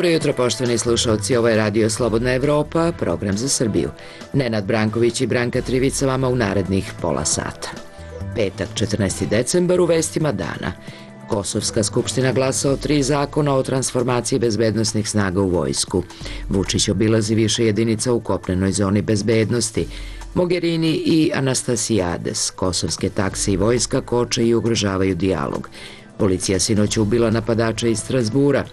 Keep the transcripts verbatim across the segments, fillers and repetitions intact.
Dobro jutro, poštovani slušalci, ovo je Radio Slobodna Evropa, program za Srbiju. Nenad Branković i Branka Trivica vama u narednih pola sata. Petak, četrnaesti decembar, u vestima dana. Kosovska skupština glasa o tri zakona o transformaciji bezbednosnih snaga u vojsku. Vučić obilazi više jedinica u kopnenoj zoni bezbednosti. Mogherini i Anastasijades, kosovske takse i vojska koče i ugrožavaju dijalog. Policija sinoć ubila napadača iz Strasbura.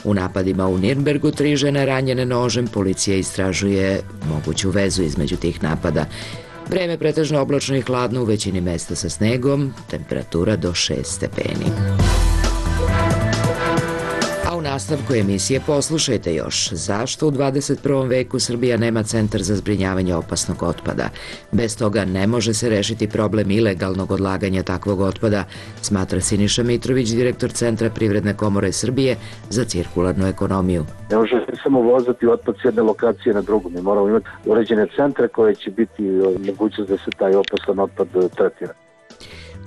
U napadima u Nirnbergu tri žene ranjene nožem. Policija istražuje moguću vezu između tih napada. Vreme pretežno oblačno i hladno, u većini mesta sa snegom, temperatura do šest stepeni. A u nastavku emisije poslušajte još zašto u dvadeset prvom veku Srbija nema centar za zbrinjavanje opasnog otpada. Bez toga ne može se rešiti problem ilegalnog odlaganja takvog otpada, smatra Siniša Mitrović, direktor Centra Privredne komore Srbije za cirkularnu ekonomiju. Ne može samo vozati otpad s jedne lokacije na drugu. Mi moramo imati uređene centre koje će biti mogućnost da se taj opasan otpad tretira.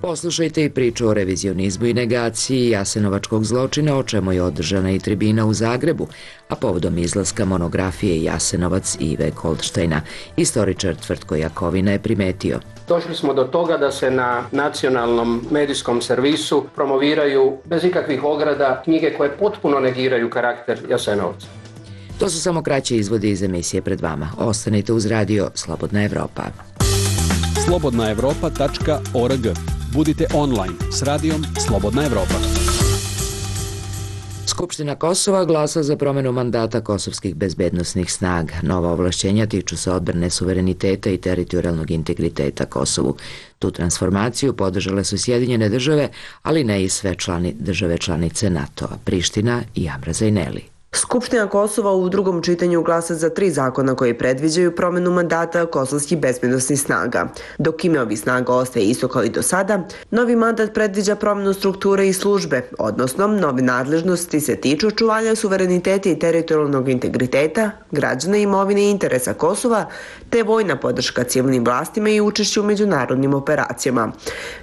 Poslušajte i priču o revizionizmu i negaciji jasenovačkog zločina, o čemu je održana i tribina u Zagrebu, a povodom izlaska monografije Jasenovac Ive Goldštajna. Istoričar Tvrtko Jakovina je primetio. Došli smo do toga da se na nacionalnom medijskom servisu promoviraju bez ikakvih ograda knjige koje potpuno negiraju karakter Jasenovca. To su samo kraći izvodi iz emisije pred vama. Ostanite uz radio Slobodna Evropa. slobodna evropa tačka org. Budite online s radijom Slobodna Evropa. Skupština Kosova glasa za promenu mandata kosovskih bezbednosnih snaga. Nova ovlašćenja tiču se odbrane suvereniteta i teritorijalnog integriteta Kosovu. Tu transformaciju podržale su Sjedinjene države, ali ne i sve člani države članice NATO-a, Priština i Amra Zajneli. Skupština Kosova u drugom čitanju glasa za tri zakona koji predviđaju promenu mandata kosovskih bezbednosnih snaga. Dok ime ovih snaga ostaje isto kao i do sada, novi mandat predviđa promenu strukture i službe, odnosno nove nadležnosti se tiču očuvanja suvereniteta i teritorijalnog integriteta, građana, imovine i interesa Kosova, te vojna podrška civilnim vlastima i učešće u međunarodnim operacijama.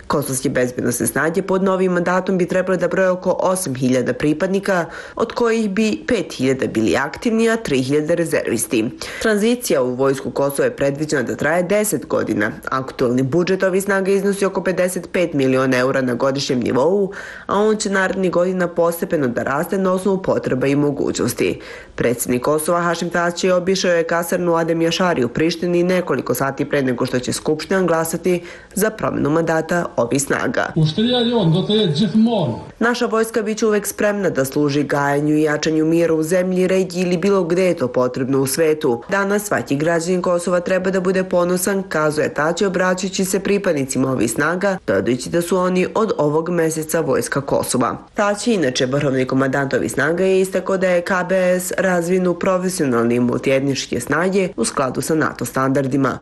Kosovske bezbednosne snage pod novim mandatom bi trebale da broje oko osam hiljada pripadnika, od kojih bi pet hiljada bili aktivni, a tri hiljade rezervisti. Tranzicija u vojsku Kosova je predviđena da traje deset godina. Aktualni budžet ovih snaga iznosi oko pedeset pet miliona eura na godišnjem nivou, a on će narednih godina postepeno da raste na osnovu potreba i mogućnosti. Predsjednik Kosova Hašim Tači obišao je kasarnu Adem Jašari u Prištini nekoliko sati pre nego što će Skupština glasati za promenu mandata ovih snaga. Naša vojska biće uvek spremna da služi gajanju i jačanju mira u zemlji, regiji ili bilo gde je to potrebno u svetu. Danas svaki građanin Kosova treba da bude ponosan, kazuje Tači obraćajući se pripadnicima ovih snaga, dodajući da su oni od ovog meseca vojska Kosova. Tači, inače vrhovni komandant ovih snaga, je istakao da je K B S razvijen u profesionalne i multietničke snage u skladu sa NATO standardima.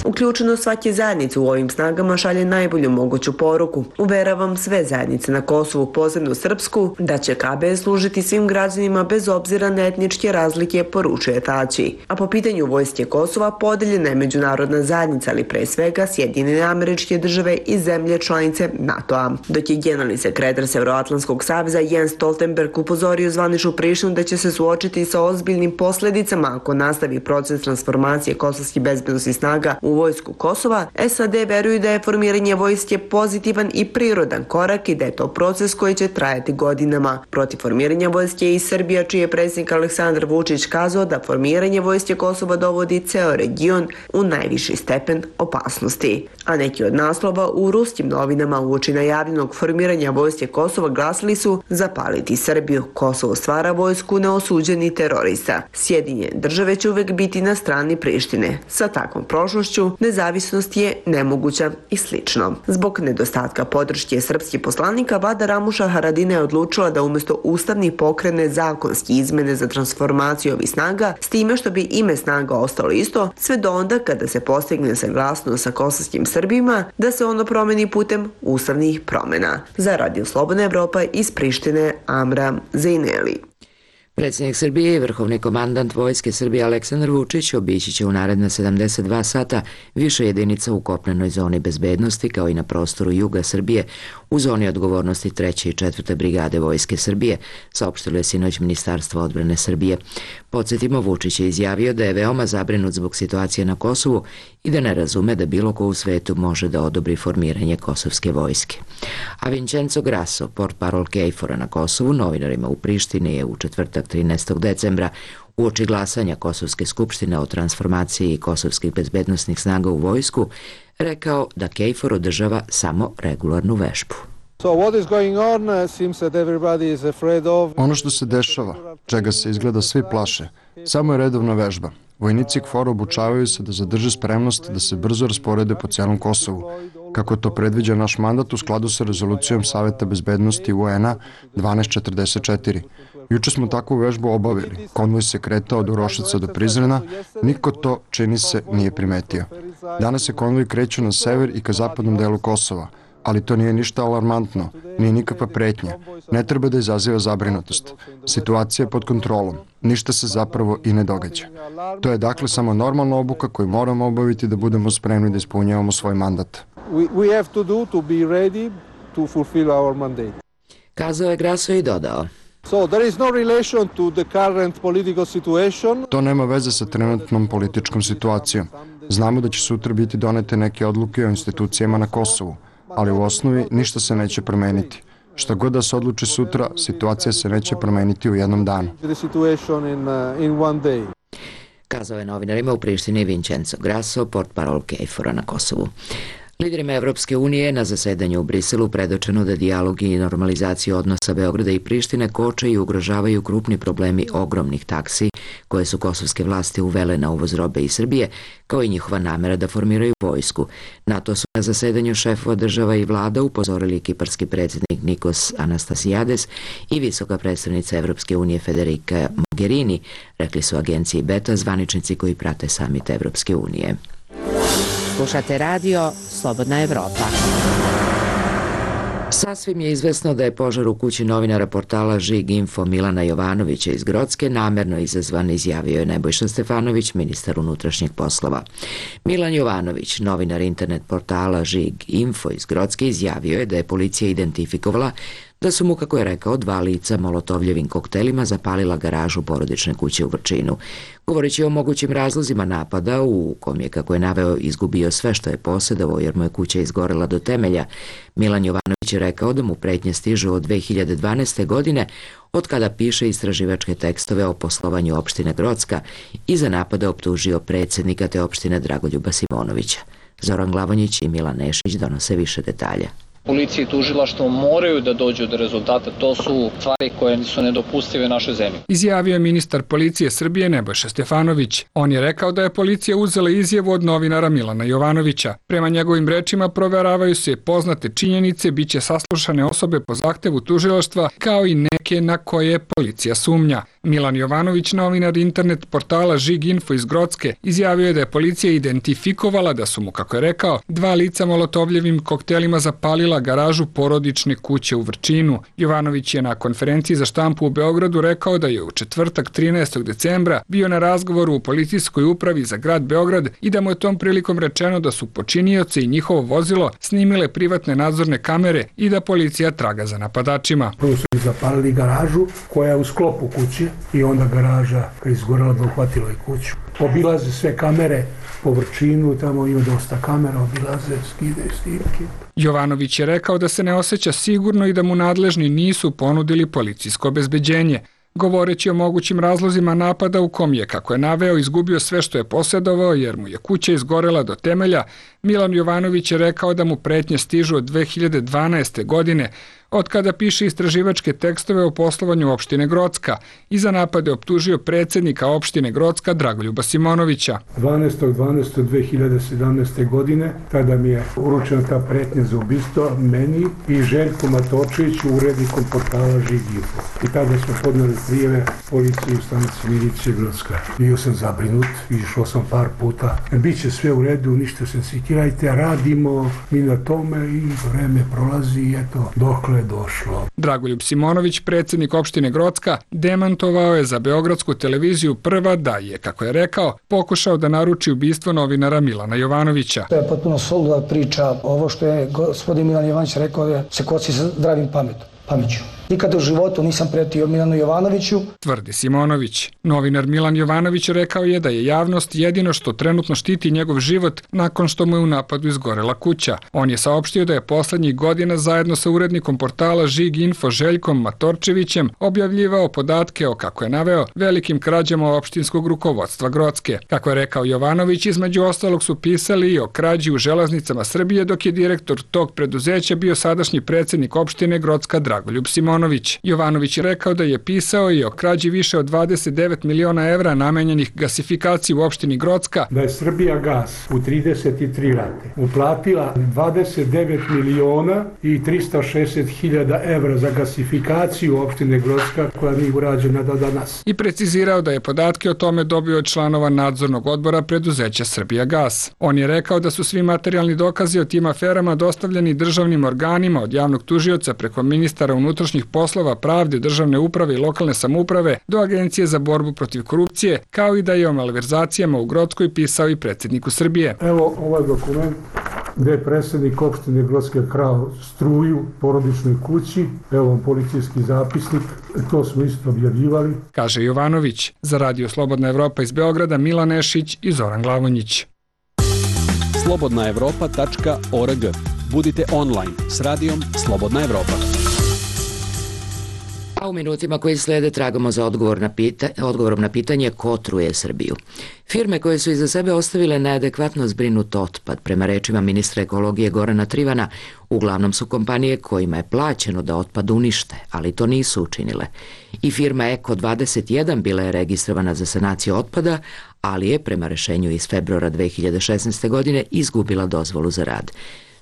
Uključenost svake zajednice u ovim snagama šalje najbolju moguću poruku. Uveravam sve zajednice na Kosovu, posebno srpsku, da će K B S služiti svim građanima bez obzira na etničke razlike, poručuje Tači. A po pitanju vojske Kosova podeljena je međunarodna zajednica, ali pre svega Sjedinjene Američke Države i zemlje članice NATO-a. Dok je generalni sekretar Severoatlantskog saveza Jens Stoltenberg upozorio zvaničnu Prištinu da će se suočiti sa ozbiljnim posledicama ako nastavi proces transformacije kosovskih bezbednosnih snaga u vojsku Kosova, S A D veruju da je formiranje vojske pozitivan i prirodan korak i da je to proces koji će trajati godinama. Protiv formiranja vojske je i Srbija, čiji je predsjednik Aleksandar Vučić kazao da formiranje vojske Kosova dovodi ceo region u najviši stepen opasnosti. A neki od naslova u ruskim novinama uoči najavljenog formiranja vojske Kosova glasili su zapaliti Srbiju. Kosovo stvara vojsku neosuđeni terorista. Sjedinjene države će uvek biti na strani Prištine. Sa takvom prošlošću nezavisnost je nemoguća i slično. Zbog nedostatka podrške srpskih poslanika, vlada Ramuša Haradina je odlučila da umjesto ustavnih pokrene zakonski izmene za transformaciju ovih snaga, s time što bi ime snaga ostalo isto, sve do onda kada se postigne saglasnost sa kosovskim Srbima, da se ono promeni putem ustavnih promjena. Za Radio Slobodna Evropa iz Prištine, Amra Zajneli. Predsjednik Srbije i vrhovni komandant Vojske Srbije Aleksandar Vučić obići će u naredna sedamdeset dva sata više jedinica u kopnenoj zoni bezbednosti kao i na prostoru juga Srbije u zoni odgovornosti treće i četvrte brigade Vojske Srbije, saopštilo je sinoć Ministarstvo odbrane Srbije. Podsjetimo, Vučić je izjavio da je veoma zabrinut zbog situacije na Kosovu i da ne razume da bilo ko u svetu može da odobri formiranje kosovske vojske. A Vincenzo Grasso, portparol KFOR-a na Kosovu, novinarima u Prištini je u četvrtak trinaestog decembra uoči glasanja Kosovske skupštine o transformaciji kosovskih bezbednosnih snaga u vojsku rekao da KFOR održava samo regularnu vežbu. Ono što se dešava, čega se izgleda svi plaše, samo je redovna vežba. Vojnici K F O R obučavaju se da zadrže spremnost da se brzo rasporede po cijelom Kosovu, kako to predviđa naš mandat u skladu sa rezolucijom Saveta bezbednosti U N-a dvanaest četrdeset četiri. Juče smo takvu vežbu obavili. Konvoj se kretao od Uroševca do Prizrena, niko to, čini se, nije primetio. Danas se konvoj kreće na sever i ka zapadnom delu Kosova, ali to nije ništa alarmantno, nije nikakva pretnja. Ne treba da izaziva zabrinutost. Situacija je pod kontrolom. Ništa se zapravo i ne događa. To je dakle samo normalna obuka koju moramo obaviti da budemo spremni da ispunjavamo svoj mandat. Kazao je Grasso i dodao. To nema veze sa trenutnom političkom situacijom. Znamo da će sutra biti donete neke odluke o institucijama na Kosovu, ali u osnovi ništa se neće promeniti. Šta god da se odluči sutra, situacija se neće promeniti u jednom danu. Kazao je novinarima u Prištini Vincenzo Grasso, portparol KFOR-a na Kosovu. Liderima Evropske unije na zasedanju u Briselu predočeno da dijalog i normalizaciju odnosa Beograda i Prištine koče i ugrožavaju krupni problemi ogromnih taksi koje su kosovske vlasti uvele na uvoz robe iz Srbije, kao i njihova namera da formiraju vojsku. Na to su na zasedanju šefova država i vlada upozorili kiparski predsjednik Nikos Anastasiades i visoka predstavnica Evropske unije Federica Mogherini, rekli su agenciji Beta zvaničnici koji prate samit Evropske unije. Slušate radio Slobodna Evropa. Sasvim je izvesno da je požar u kući novinara portala Žig Info Milana Jovanovića iz Grocke namerno izazvan, izjavio je Nebojša Stefanović, ministar unutrašnjih poslova. Milan Jovanović, novinar internet portala Žig Info iz Grocke, izjavio je da je policija identifikovala da su mu, kako je rekao, dva lica molotovljevim koktelima zapalila garažu porodične kuće u Vrčinu. Govoreći o mogućim razlozima napada, u kom je, kako je naveo, izgubio sve što je posjedovao jer mu je kuća izgorela do temelja, Milan Jovanović je rekao da mu pretnje stižu od dve hiljade dvanaeste. godine, od kada piše istraživačke tekstove o poslovanju opštine Grocka i za napada optužio predsjednika te opštine Dragoljuba Simonovića. Zoran Glavonjić i Milan Nešić donose više detalja. Policija i tužilaštvo moraju da dođu do rezultata, to su stvari koje su nedopustive našoj zemlji. Izjavio je ministar policije Srbije Nebojša Stefanović. On je rekao da je policija uzela izjavu od novinara Milana Jovanovića. Prema njegovim rečima proveravaju se poznate činjenice, bit će saslušane osobe po zahtevu tužilaštva, kao i neke na koje policija sumnja. Milan Jovanović, novinar internet portala Žig Info iz Grocke, izjavio je da je policija identifikovala da su mu, kako je rekao, dva lica molotovljevim koktelima zapalila garažu porodične kuće u Vrčinu. Jovanović je na konferenciji za štampu u Beogradu rekao da je u četvrtak trinaestog decembra bio na razgovoru u policijskoj upravi za grad Beograd i da mu je tom prilikom rečeno da su počinioci i njihovo vozilo snimile privatne nadzorne kamere i da policija traga za napadačima. Prvo su zapalili garažu koja je u sklopu kuće i onda garaža kad je izgorela da uhvatila i kuću. Obilaze sve kamere po Vrčinu, tamo ima dosta kamera, obilaze, skide snimke. Jovanović je rekao da se ne osjeća sigurno i da mu nadležni nisu ponudili policijsko obezbeđenje. Govoreći o mogućim razlozima napada u kom je, kako je naveo, izgubio sve što je posjedovao jer mu je kuća izgorela do temelja, Milan Jovanović je rekao da mu pretnje stižu od dve hiljade dvanaeste. godine, od kada piše istraživačke tekstove o poslovanju opštine Grocka i za napade optužio predsjednika opštine Grocka Dragoljuba Simonovića. dvanaestog decembra dve hiljade sedamnaeste. godine tada mi je uručena ta pretnja za ubistvo meni i Željku Matočeviću, urednikom portala Žig Info. I tada smo podneli prijeve policiji u stanici milicije Grocka. Bio sam zabrinut, išao sam par puta. Biće sve u redu, ništa se sikirajte, radimo mi na tome i vreme prolazi i eto, dokle je došlo. Dragoljub Simonović, predsjednik opštine Grocka, demantovao je za beogradsku televiziju Prva da je, kako je rekao, pokušao da naruči ubistvo novinara Milana Jovanovića. To je potpuno suluda priča. Ovo što je gospodin Milan Jovanović rekao je se kosi sa zdravim pametom. Pameću. Nikada u životu nisam pretio Milanu Jovanoviću. Tvrdi Simonović. Novinar Milan Jovanović rekao je da je javnost jedino što trenutno štiti njegov život nakon što mu je u napadu izgorela kuća. On je saopštio da je poslednjih godina zajedno sa urednikom portala Žig Info Željkom Matorčevićem objavljivao podatke o, kako je naveo, velikim krađama opštinskog rukovodstva Grocke. Kako je rekao Jovanović, između ostalog su pisali i o krađi u železnicama Srbije, dok je direktor tog preduzeća bio sadašnji predsjednik opštine Grocka Dragoljub Simonović. Jovanović je rekao da je pisao i o krađi više od dvadeset devet miliona evra namenjenih gasifikaciji u opštini Grocka. Da je Srbija gas u trideset tri rate uplatila dvadeset devet miliona i trista šezdeset hiljada evra za gasifikaciju opštine Grocka koja nije urađena do danas. I precizirao da je podatke o tome dobio od članova nadzornog odbora preduzeća Srbija gas. On je rekao da su svi materijalni dokazi o tim aferama dostavljeni državnim organima od javnog tužioca preko ministara unutrašnjih poslova, pravde, državne uprave i lokalne samouprave do Agencije za borbu protiv korupcije, kao i da je o malverzacijama u Grockoj pisao i predsjedniku Srbije. Evo ovaj dokument gde je predsjednik opštine Grocke krao struju porodičnoj kući. Evo vam policijski zapisnik, to smo isto objavljivali. Kaže Jovanović. Za Radio Slobodna Evropa iz Beograda, Milan Nešić i Zoran Glavonjić. slobodna evropa tačka org. Budite online s radijom Slobodna Evropa. A u minutima koji slede tragamo za odgovor na pita, odgovorom na pitanje ko truje Srbiju. Firme koje su iza sebe ostavile neadekvatno zbrinut otpad, prema rečima ministra ekologije Gorana Trivana, uglavnom su kompanije kojima je plaćeno da otpad unište, ali to nisu učinile. I firma Eko dvadeset jedan bila je registrovana za sanaciju otpada, ali je prema rešenju iz februara dve hiljade šesnaeste. godine izgubila dozvolu za rad.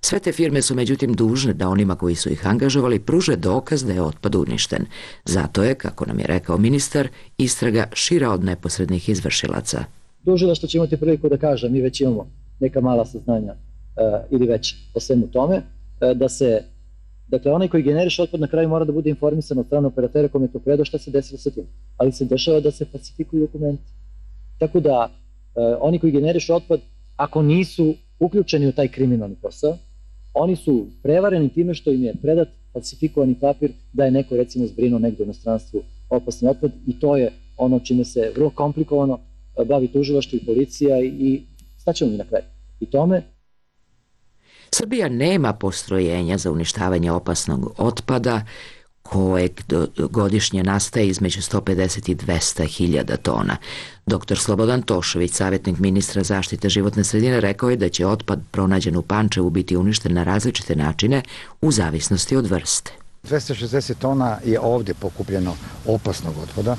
Sve te firme su međutim dužne da onima koji su ih angažovali pruže dokaz da je otpad uništen. Zato je, kako nam je rekao ministar, istraga šira od neposrednih izvršilaca. Tužilaštvo će imati priliku da kaže, mi već imamo neka mala saznanja uh, ili već o svemu tome, uh, da se, dakle, onaj koji generiše otpad na kraju mora da bude informisan od strane operatera kome je to predao šta se desilo sa tim. Ali se dešava da se falsifikuju dokumenti. Tako da, uh, oni koji generiše otpad, ako nisu uključeni u taj kriminalni posao, oni su prevareni time što im je predat falsifikovani papir da je neko recimo zbrinuo negdje u inostranstvu opasni otpad i to je ono čime se vrlo komplikovano bavi tužilaštvo i policija i staćemo mi na kraj. I tome Srbija nema postrojenja za uništavanje opasnog otpada kojeg godišnje nastaje između sto pedeset i dvesta hiljada tona. Doktor Slobodan Tošović, savjetnik ministra zaštite životne sredine, rekao je da će otpad pronađen u Pančevu biti uništen na različite načine u zavisnosti od vrste. dvesta šezdeset tona je ovdje pokupljeno opasnog otpada.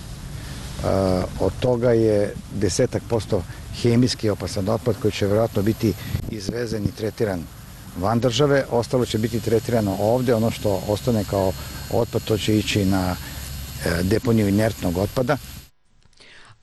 Od toga je desetak posto hemijski opasan otpad koji će vjerojatno biti izvezen i tretiran van države, ostalo će biti tretirano ovdje, ono što ostane kao otpad to će ići na deponiju inertnog otpada.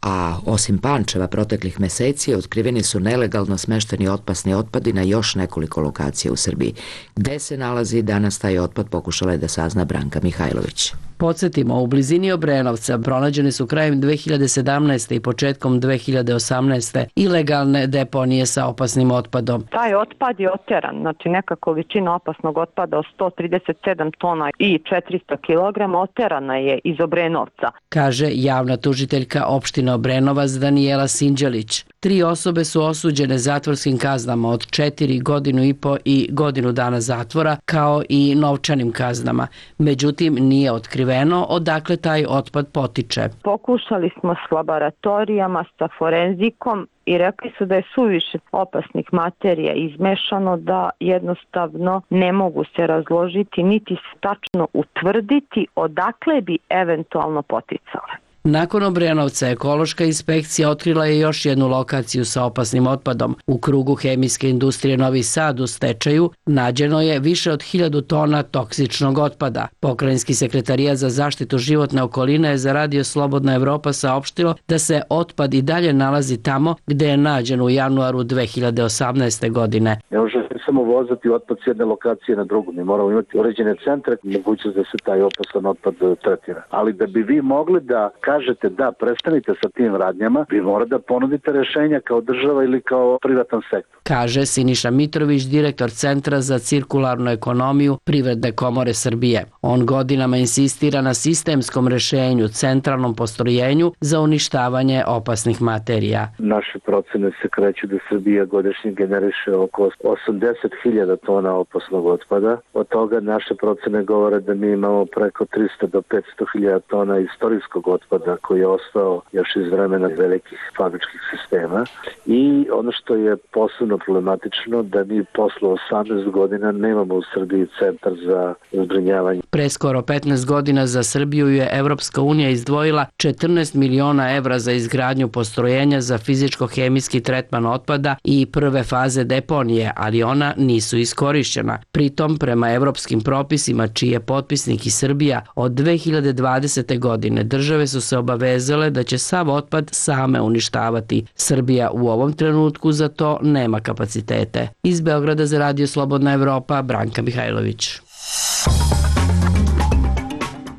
A osim Pančeva proteklih meseci otkriveni su nelegalno smešteni otpasni otpadi na još nekoliko lokacija u Srbiji. Gde se nalazi danas taj otpad pokušala je da sazna Branka Mihajlović. Podsjetimo, u blizini Obrenovca pronađene su krajem dve hiljade sedamnaeste. i početkom dve hiljade osamnaeste. ilegalne deponije sa opasnim otpadom. Taj otpad je oteran, znači neka količina opasnog otpada od sto trideset sedam tona i četiristo kilograma oterana je iz Obrenovca. Kaže javna tužiteljka opštine Obrenovac Danijela Sinđelić. Tri osobe su osuđene zatvorskim kaznama od četiri, godinu i po i godinu dana zatvora, kao i novčanim kaznama. Međutim, nije otkriveno odakle taj otpad potiče. Pokušali smo s laboratorijama, sa forenzikom i rekli su da je suviše opasnih materija izmešano, da jednostavno ne mogu se razložiti niti se tačno utvrditi odakle bi eventualno poticale. Nakon Obrenovca, ekološka inspekcija otkrila je još jednu lokaciju sa opasnim otpadom. U krugu hemijske industrije Novi Sad u stečaju nađeno je više od hiljadu tona toksičnog otpada. Pokrajinski sekretarijat za zaštitu životne okoline je za Radio Slobodna Evropa saopštilo da se otpad i dalje nalazi tamo gde je nađen u januaru dve hiljade osamnaeste. godine. Ne može samo vozati otpad s jedne lokacije na drugu. Mi moramo imati uređene centre, mogućnost da se taj opasan otpad tretira. Ali da bi vi mogli da kažete da prestanite sa tim radnjama, vi morate da ponudite rešenja kao država ili kao privatan sektor. Kaže Siniša Mitrović, direktor Centra za cirkularnu ekonomiju Privredne komore Srbije. On godinama insistira na sistemskom rešenju, centralnom postrojenju za uništavanje opasnih materija. Naše procene se kreću da Srbija godišnje generiše oko osamdeset hiljada tona opasnog otpada. Od toga naše procene govore da mi imamo preko trista do petsto hiljada tona istorijskog otpada koji je ostao još iz vremena velikih fabričkih sistema. I ono što je posebno problematično da mi posle osamnaest godina nemamo u Srbiji centar za zbrinjavanje. Pre skoro petnaest godina za Srbiju je Evropska unija izdvojila četrnaest miliona evra za izgradnju postrojenja za fizičko-hemijski tretman otpada i prve faze deponije, ali ona nisu iskorišćena. Pritom, prema evropskim propisima, čiji je potpisnik i Srbija, od dve hiljade dvadesete. godine države su se obavezale da će sav otpad same uništavati. Srbija u ovom trenutku za to nema kapacitete. Iz Beograda za Radio Slobodna Evropa, Branka Mihajlović.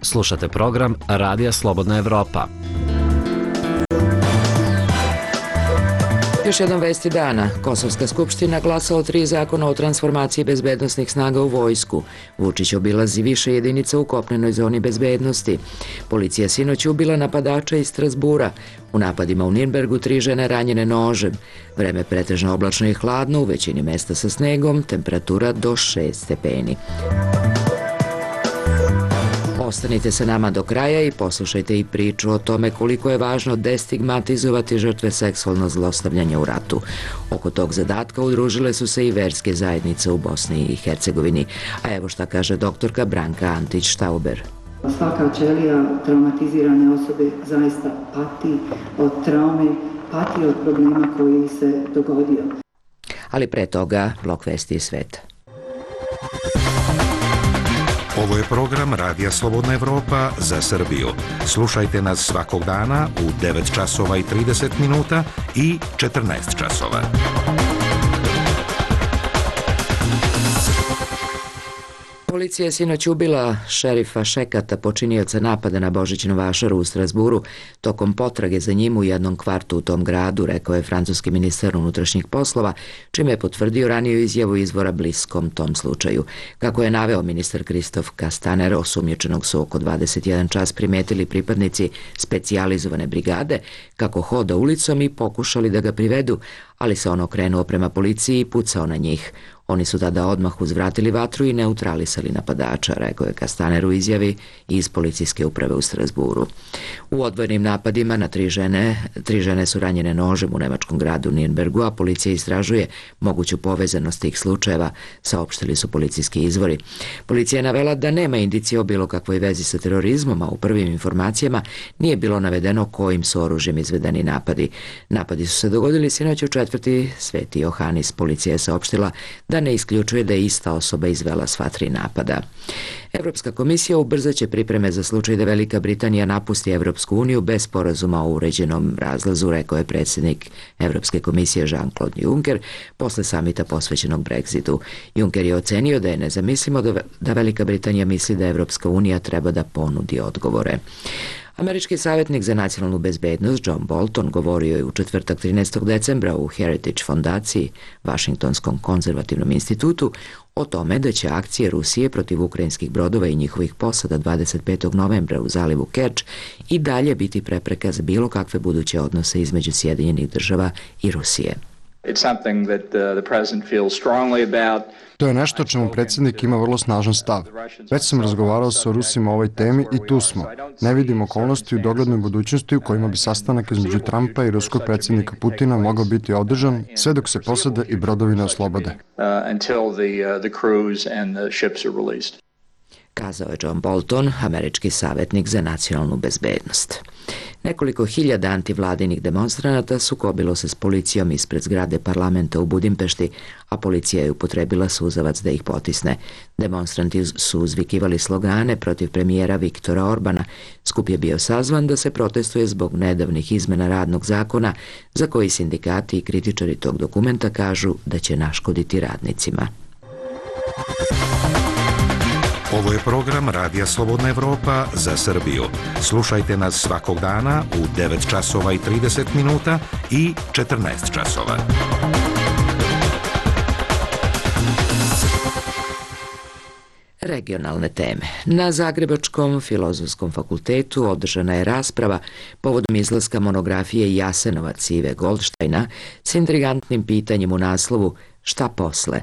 Slušate program Radija Slobodna Evropa. Još jedan vesti dana. Kosovska skupština glasa o tri zakona o transformaciji bezbednostnih snaga u vojsku. Vučić obilazi više jedinica u kopnenoj zoni bezbednosti. Policija sinoć ubila napadača iz Strasbura. U napadima u Nirnbergu tri žene ranjene nožem. Vreme pretežno oblačno i hladno, u većini mesta sa snegom, temperatura do šest stepeni. Ostanite sa nama do kraja i poslušajte i priču o tome koliko je važno destigmatizovati žrtve seksualnog zlostavljanja u ratu. Oko tog zadatka udružile su se i verske zajednice u Bosni i Hercegovini. A evo šta kaže doktorka Branka Antić-Štauber. Svaka ćelija traumatizirane osobe zaista pati od traume, pati od problema koji se dogodio. Ali pre toga blok vesti iz sveta. Ovo je program Radija Slobodna Evropa za Srbiju. Slušajte nas svakog dana u devet časova i trideset minuta i četrnaest časova. Policija je sinoć ubila šerifa Šekata, počinioca napada na Božićnu vašaru u Strasburu, tokom potrage za njim u jednom kvartu u tom gradu, rekao je francuski ministar unutrašnjih poslova, čime je potvrdio raniju izjavu izvora bliskom tom slučaju. Kako je naveo ministar Kristof Kastaner, osumnjičenog su oko dvadeset jedan čas primetili pripadnici specijalizovane brigade, kako hoda ulicom i pokušali da ga privedu, ali se on okrenuo prema policiji i pucao na njih. Oni su tada odmah uzvratili vatru i neutralisali napadača, rekao je Kastaner u izjavi iz policijske uprave u Strasburu. U odvojenim napadima na tri žene, tri žene su ranjene nožem u nemačkom gradu Nirnbergu, a policija istražuje moguću povezanost tih slučajeva, saopštili su policijski izvori. Policija je navela da nema indicije o bilo kakvoj vezi sa terorizmom, a u prvim informacijama nije bilo navedeno kojim su oružjem izvedeni napadi. Napadi su se dogodili sinoć u četvrti Sveti Johanis. Policija je saopštila da ne isključuje da je ista osoba izvela sva tri napada. Evropska komisija ubrzaće pripreme za slučaj da Velika Britanija napusti Evropsku uniju bez sporazuma o uređenom razlazu, rekao je predsjednik Evropske komisije Jean-Claude Juncker posle samita posvećenog Brexitu. Juncker je ocenio da je nezamislivo da Velika Britanija misli da Evropska unija treba da ponudi odgovore. Američki savjetnik za nacionalnu bezbednost John Bolton govorio je u četvrtak trinaestog decembra u Heritage fondaciji, Vašingtonskom konzervativnom institutu, o tome da će akcije Rusije protiv ukrajinskih brodova i njihovih posada dvadeset petog novembra u zalivu Kerč i dalje biti prepreka za bilo kakve buduće odnose između Sjedinjenih država i Rusije. To je nešto o čemu predsjednik ima vrlo snažan stav. Već sam razgovarao sa Rusima o ovoj temi i tu smo. Ne vidim okolnosti u doglednoj budućnosti u kojima bi sastanak između Trumpa i ruskog predsjednika Putina mogao biti održan sve dok se posade i brodovi ne oslobode. Kazao je John Bolton, američki savjetnik za nacionalnu bezbednost. Nekoliko hiljada antivladinih demonstranata sukobilo se s policijom ispred zgrade parlamenta u Budimpešti, a policija je upotrebila suzavac da ih potisne. Demonstranti su uzvikivali slogane protiv premijera Viktora Orbana. Skup je bio sazvan da se protestuje zbog nedavnih izmena radnog zakona za koji sindikati i kritičari tog dokumenta kažu da će naškoditi radnicima. Ovo je program Radija Slobodna Evropa za Srbiju. Slušajte nas svakog dana u devet časova i trideset minuta i četrnaest časova. Regionalne teme. Na Zagrebačkom filozofskom fakultetu održana je rasprava povodom izlaska monografije Jasenovac Ive Goldštajna s intrigantnim pitanjem u naslovu Šta posle?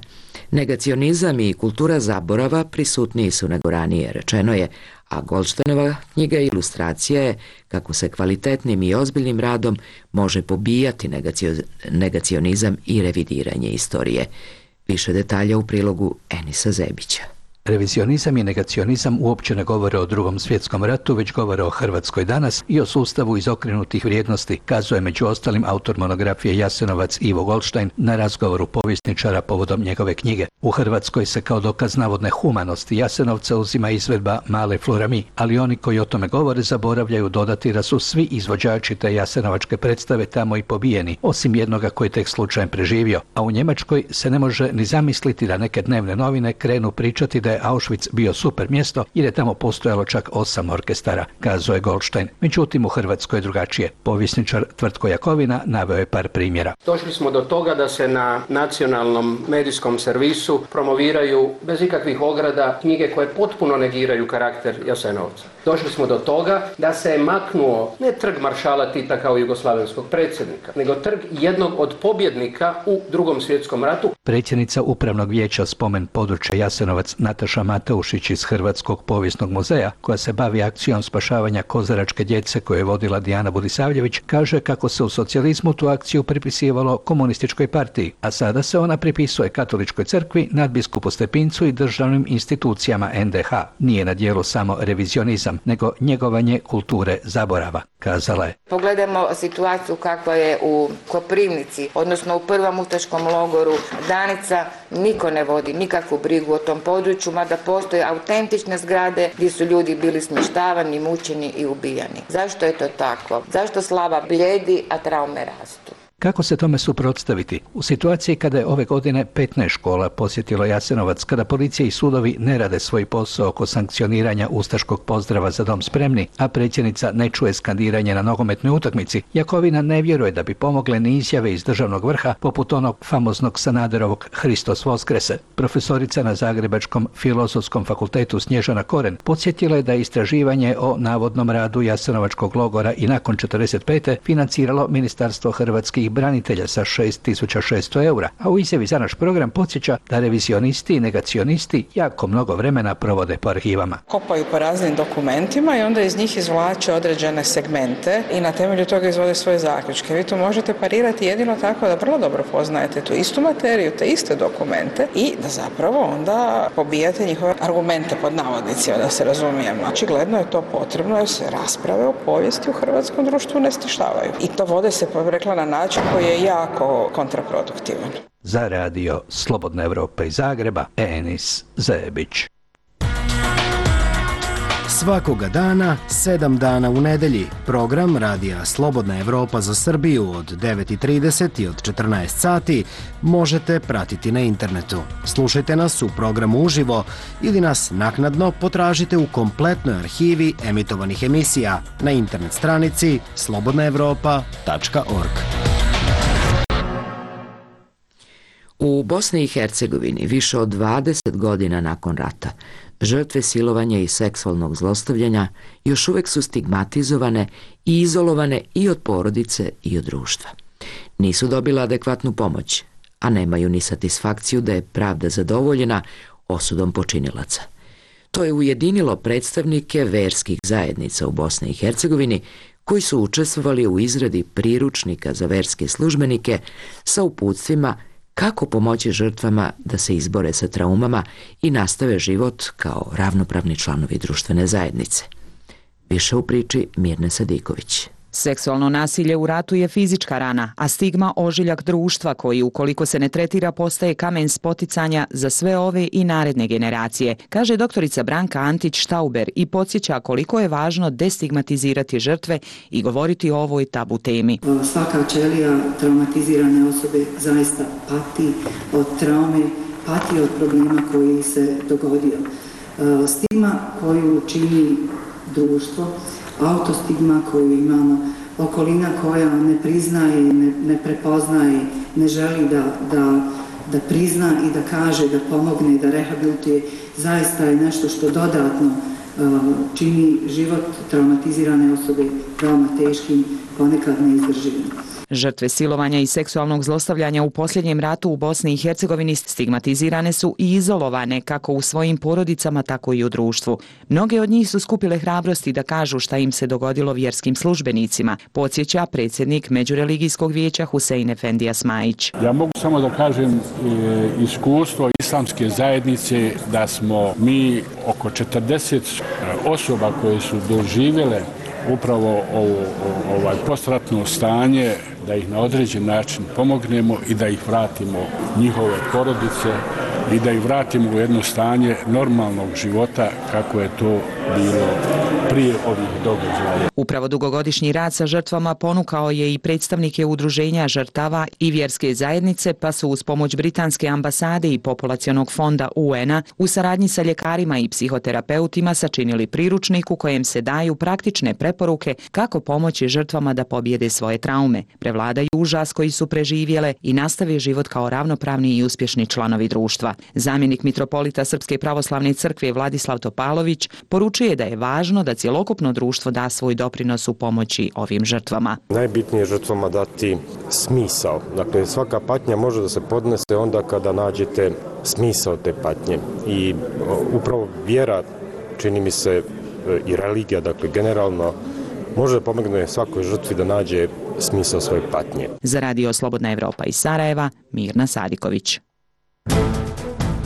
Negacionizam i kultura zaborava prisutniji su nego ranije, rečeno je, a Goldštajnova knjiga ilustracija je kako se kvalitetnim i ozbiljnim radom može pobijati negacio- negacionizam i revidiranje istorije. Više detalja u prilogu Enisa Zebića. Revizionizam i negacionizam uopće ne govore o Drugom svjetskom ratu, već govore o Hrvatskoj danas i o sustavu izokrenutih vrijednosti, kazuje među ostalim autor monografije Jasenovac Ivo Goldštajn na razgovoru povjesničara povodom njegove knjige. U Hrvatskoj se kao dokaz navodne humanosti Jasenovca uzima izvedba Male Florami, ali oni koji o tome govore zaboravljaju dodati da su svi izvođači te jasenovačke predstave tamo i pobijeni, osim jednoga koji tek slučajem preživio. A u Njemačkoj se ne može ni zamisliti da neke dnevne novine krenu pričati da je Auschwitz bio super mjesto jer je tamo postojalo čak osam orkestara, kazuje Goldštajn. Međutim, u Hrvatskoj je drugačije. Povjesničar Tvrtko Jakovina naveo je par primjera. Došli smo do toga da se na nacionalnom medijskom servisu promoviraju bez ikakvih ograda knjige koje potpuno negiraju karakter Jasenovca. Došli smo do toga da se je maknuo ne trg maršala Tita kao jugoslavenskog predsjednika, nego trg jednog od pobjednika u Drugom svjetskom ratu. Predsjednica Upravnog vijeća Spomen područja Jasenovac Nataša Mateušić iz Hrvatskog povijesnog muzeja, koja se bavi akcijom spašavanja kozaračke djece koju je vodila Dijana Budisavljević, kaže kako se u socijalizmu tu akciju pripisivalo komunističkoj partiji, a sada se ona pripisuje Katoličkoj crkvi, nadbiskupu Stepincu i državnim institucijama en de ha. Nije na djelu samo revizionizam, nego njegovanje kulture zaborava, kazala je. Pogledajmo situaciju kakva je u Koprivnici, odnosno u prvom ustaškom logoru Danica. Niko ne vodi nikakvu brigu o tom području, mada postoje autentične zgrade gdje su ljudi bili smještavani, mučeni i ubijani. Zašto je to tako? Zašto slava blijedi, a traume rastu? Kako se tome suprotstaviti? U situaciji kada je ove godine petnaest škola posjetilo Jasenovac, kada policija i sudovi ne rade svoj posao oko sankcioniranja ustaškog pozdrava Za dom spremni, a predsjednica ne čuje skandiranje na nogometnoj utakmici, Jakovina ne vjeruje da bi pomogle ni izjave iz državnog vrha poput onog famoznog Sanaderovog Hristos Voskrese. Profesorica na Zagrebačkom filozofskom fakultetu Snježana Koren podsjetila je da je istraživanje o navodnom radu Jasenovačkog logora i nakon četrdeset pete financiralo Ministarstvo hrvatskih branitelja sa šest tisuća šesto eura, a u izjavi za naš program podsjeća da revizionisti i negacionisti jako mnogo vremena provode po arhivama. Kopaju po raznim dokumentima i onda iz njih izvlače određene segmente i na temelju toga izvode svoje zaključke. Vi to možete parirati jedino tako da vrlo dobro poznajete tu istu materiju, te iste dokumente i da zapravo onda pobijate njihove argumente pod navodnicima, da se razumijemo. Očigledno je to potrebno jer se rasprave o povijesti u hrvatskom društvu ne stišavaju. I to vode se, pa rekla, na način koji je jako kontraproduktivan. Za radio Slobodna Evropa iz Zagreba, Enis Zebić. Svakoga dana, sedam dana u nedelji, program Radija Slobodna Evropa za Srbiju od devet i trideset i od četrnaest sati možete pratiti na internetu. Slušajte nas u programu uživo ili nas naknadno potražite u kompletnoj arhivi emitovanih emisija na internet stranici slobodna evropa tačka org. U Bosni i Hercegovini više od dvadeset godina nakon rata žrtve silovanja i seksualnog zlostavljanja još uvek su stigmatizovane i izolovane i od porodice i od društva. Nisu dobile adekvatnu pomoć, a nemaju ni satisfakciju da je pravda zadovoljena osudom počinilaca. To je ujedinilo predstavnike verskih zajednica u Bosni i Hercegovini koji su učestvovali u izradi priručnika za verske službenike sa uputstvima kako pomoći žrtvama da se izbore sa traumama i nastave život kao ravnopravni članovi društvene zajednice. Više u priči Mirne Sadiković. Seksualno nasilje u ratu je fizička rana, a stigma ožiljak društva koji ukoliko se ne tretira postaje kamen spoticanja za sve ove i naredne generacije, kaže doktorica Branka Antić-Štauber i podsjeća koliko je važno destigmatizirati žrtve i govoriti o ovoj tabu temi. Svaka ćelija traumatizirane osobe zaista pati od traume, pati od problema koji se dogodio. Stigma koju čini društvo, autostigma koju imamo, okolina koja ne priznaje, ne, ne prepoznaje, ne želi da, da, da prizna i da kaže, da pomogne, da rehabilituje, zaista je nešto što dodatno uh, čini život traumatizirane osobe veoma teškim, ponekad neizdrživim. Žrtve silovanja i seksualnog zlostavljanja u posljednjem ratu u Bosni i Hercegovini stigmatizirane su i izolovane kako u svojim porodicama, tako i u društvu. Mnoge od njih su skupile hrabrosti da kažu šta im se dogodilo vjerskim službenicima, podsjeća predsjednik Međureligijskog vijeća Husein Efendija Smajić. Ja mogu samo da kažem e, iskustvo islamske zajednice da smo mi oko četrdeset osoba koje su doživjele upravo ovo, ovaj postratno stanje, da ih na određen način pomognemo i da ih vratimo njihove porodice i da ih vratimo u jedno stanje normalnog života kako je to bilo prije ovih događaja. Upravo dugogodišnji rad sa žrtvama ponukao je i predstavnike udruženja žrtava i vjerske zajednice, pa su uz pomoć Britanske ambasade i Populacionog fonda U N A u saradnji sa ljekarima i psihoterapeutima sačinili priručnik u kojem se daju praktične preporuke kako pomoći žrtvama da pobjede svoje traume, prevladaju užas koji su preživjele i nastave život kao ravnopravni i uspješni članovi društva. Zamjenik mitropolita Srpske pravoslavne crkve Vladislav Topalović poručuje da je važno da cjelokupno društvo da svoj doprinos u pomoći ovim žrtvama. Najbitnije je žrtvama dati smisao. Dakle, svaka patnja može da se podnese onda kada nađete smisao te patnje. I upravo vjera, čini mi se, i religija, dakle, generalno, može da pomogne svakoj žrtvi da nađe smisao svoje patnje. Za Radio Slobodna Evropa iz Sarajeva, Mirna Sadiković.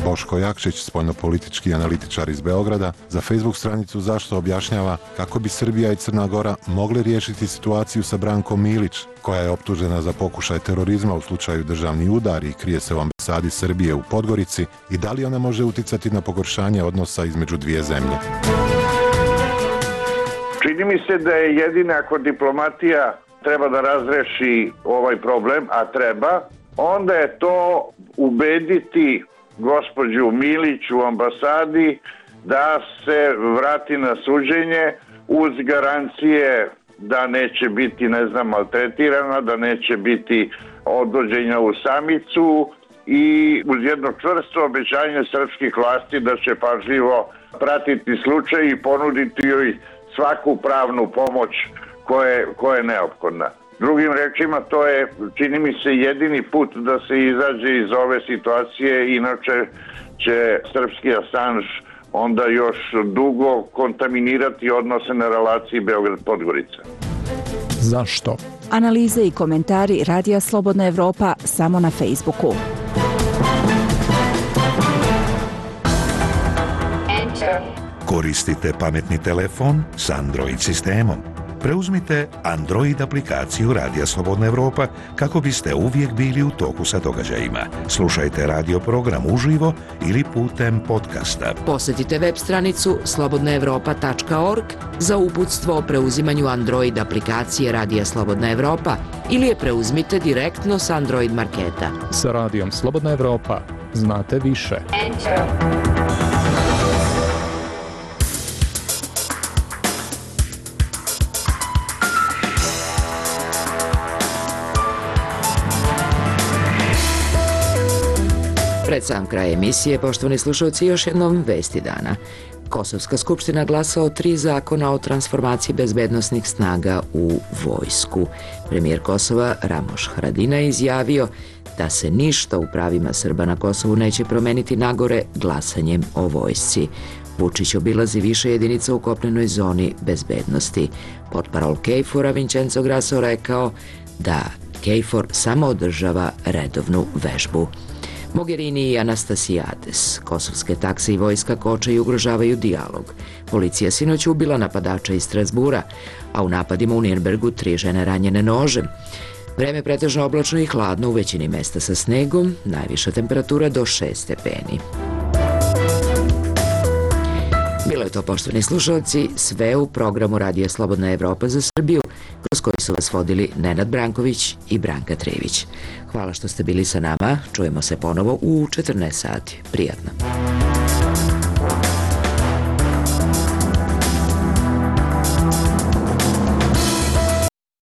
Boško Jakšić, spoljnopolitički analitičar iz Beograda, za Facebook stranicu Zašto objašnjava kako bi Srbija i Crna Gora mogli riješiti situaciju sa Brankom Milić, koja je optužena za pokušaj terorizma u slučaju državni udar i krije se u ambasadi Srbije u Podgorici, i da li ona može uticati na pogoršanje odnosa između dvije zemlje. Čini mi se da je jedina ako diplomatija treba da razreši ovaj problem, a treba, onda je to ubediti gospođu Milić u ambasadi da se vrati na suđenje uz garancije da neće biti, ne znam, maltretirana, da neće biti odvođenja u samicu i uz jedno čvrsto obećanje srpskih vlasti da će pažljivo pratiti slučaj i ponuditi joj svaku pravnu pomoć koje, koja je neophodna. Drugim rečima, to je, čini mi se, jedini put da se izađe iz ove situacije, inače će srpski Assange onda još dugo kontaminirati odnose na relaciji Beograd-Podgorica. Zašto? Analize i komentari Radija Slobodna Evropa samo na Facebooku. Koristite pametni telefon s Android sistemom. Preuzmite Android aplikaciju Radija Slobodna Evropa kako biste uvijek bili u toku sa događajima. Slušajte radio program uživo ili putem podcasta. Posjetite web stranicu slobodna evropa tačka org za uputstvo o preuzimanju Android aplikacije Radija Slobodna Evropa ili je preuzmite direktno s Android marketa. Sa Radijom Slobodna Evropa znate više. Enter. Pred sam kraj emisije, poštovani slušalci, još jednom vesti dana. Kosovska skupština glasa o tri zakona o transformaciji bezbednosnih snaga u vojsku. Premijer Kosova Ramoš Haradinaj izjavio da se ništa u pravima Srba na Kosovu neće promeniti nagore glasanjem o vojsci. Vučić obilazi više jedinica u kopnenoj zoni bezbednosti. Portparol Kejfora Vincenzo Grasso rekao da Kejfor samo održava redovnu vežbu. Mogherini i Anastasijades, kosovske takse i vojska koče i ugrožavaju dijalog. Policija sinoć ubila napadača iz Strasbura, a u napadima u Nirnbergu tri žene ranjene nožem. Vreme pretežno oblačno i hladno u većini mesta sa snegom, najviša temperatura do šest stepeni. Bilo je to, poštovani slušalci, sve u programu Radija Slobodna Evropa za Srbiju, kroz koji su vas vodili Nenad Branković i Branka Trević. Hvala što ste bili sa nama, čujemo se ponovo u četrnaest sati. Prijatno.